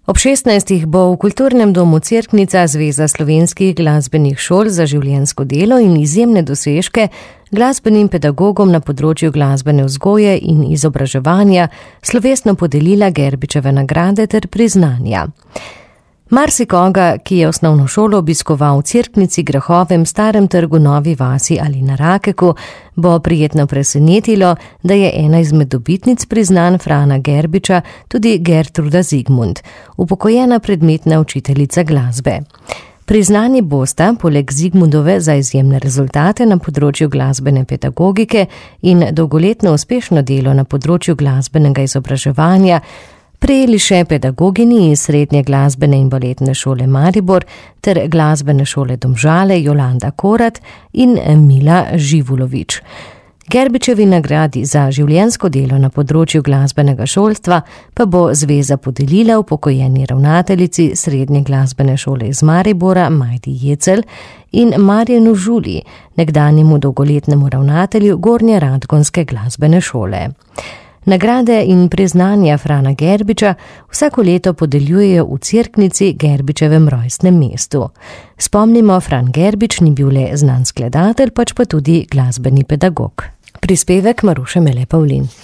Ob 16. bo v Kulturnem domu Cerknica Zveza slovenskih glasbenih šol za življenjsko delo in izjemne dosežke glasbenim pedagogom na področju glasbene vzgoje in izobraževanja slovesno podelila Gerbičeve nagrade ter priznanja. Marsikoga, ki je osnovno šolo obiskoval v Cerknici, Grahovem, Starem trgu, Novi vasi ali na Rakeku, bo prijetno presenetilo, da je ena izmed dobitnic priznanj Frana Gerbiča tudi Gertruda Zigmund, upokojena predmetna učiteljica glasbe. Priznani bosta, poleg Zigmundove za izjemne rezultate na področju glasbene pedagogike in dolgoletno uspešno delo na področju glasbenega izobraževanja, prejeli še pedagogini iz Srednje glasbene in baletne šole Maribor ter glasbene šole Domžale Jolanda Korat in Mila Živulović. Gerbičevi nagradi za življenjsko delo na področju glasbenega šolstva pa bo zveza podelila upokojeni ravnateljici Srednje glasbene šole iz Maribora Majdi Jecel in Marjanu Žuli, nekdanjemu dolgoletnemu ravnatelju Gornje Radgonske glasbene šole. Nagrade in priznanja Frana Gerbiča vsako leto podeljujejo v Cerknici, Gerbičevem rojstnem mestu. Spomnimo, Fran Gerbič ni bil le znan skladatelj, pač pa tudi glasbeni pedagog. Prispevek Maruše Mele Pavlin.